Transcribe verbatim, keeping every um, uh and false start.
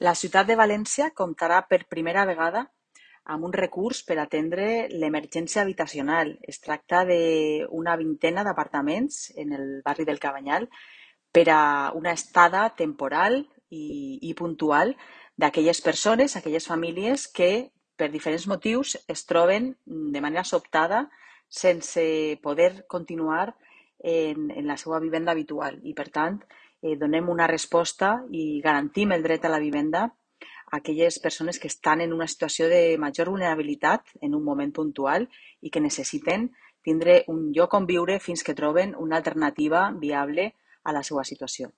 La ciutat de València comptarà per primera vegada amb un recurs per atendre l'emergència habitacional. Es tracta d'una vintena d'apartaments en el barri del Cabanyal per a una estada temporal i, i puntual d'aquelles persones, aquelles famílies que per diferents motius es troben de manera sobtada sense poder continuar en, en la seva vivenda habitual i, per tant, eh, donem una resposta i garantim el dret a la vivenda a aquelles persones que estan en una situació de major vulnerabilitat en un moment puntual i que necessiten tindre un lloc on viure fins que troben una alternativa viable a la seva situació.